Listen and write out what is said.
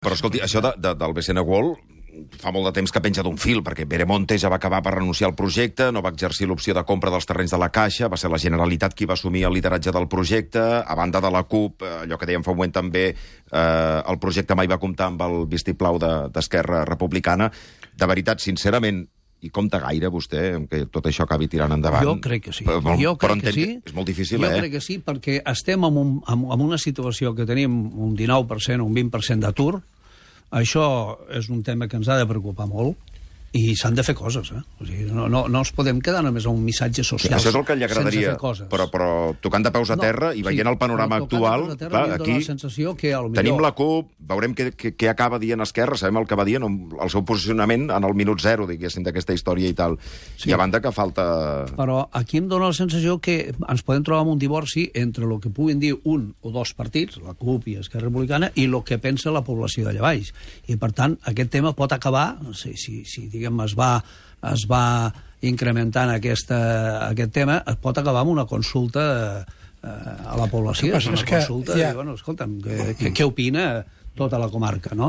Però escolti, això del BCN World fa molt de temps que penja d'un fil, perquè Veremonte ja va acabar per renunciar al projecte, no va exercir l'opció de compra dels terrenys de la Caixa, va ser la Generalitat qui va assumir el lideratge del projecte, a banda de la CUP, allò que dèiem fa un moment també, el projecte mai va comptar amb el vistiplau d'Esquerra Republicana. De veritat, sincerament, i compta gaire vostè que tot això acabi tirant endavant? Jo crec que sí. Però és molt difícil, Jo crec que sí, perquè estem en una situació que tenim un 19%, un 20% d'atur. Això és un tema que ens ha de preocupar molt i s'han de fer coses, eh? O sigui, no ens podem quedar només a un missatge social. Això és el que li agradaria, però tocant de peus a terra i veient el panorama actual, clar, aquí tenim la CUP, veurem què acaba dient Esquerra, sabem el que va dient, el seu posicionament en el minut zero, diguéssim, d'aquesta història i tal. I a banda que falta... Però aquí em dóna la sensació que ens podem trobar amb un divorci entre el que puguin dir un o dos partits, la CUP i Esquerra Republicana, i el que pensa la població d'allà baix. I, per tant, aquest tema pot acabar, si diguem, es va incrementant aquest tema, es pot acabar amb una consulta a la població. Una consulta, escolta'm, què opina tota la comarca, no?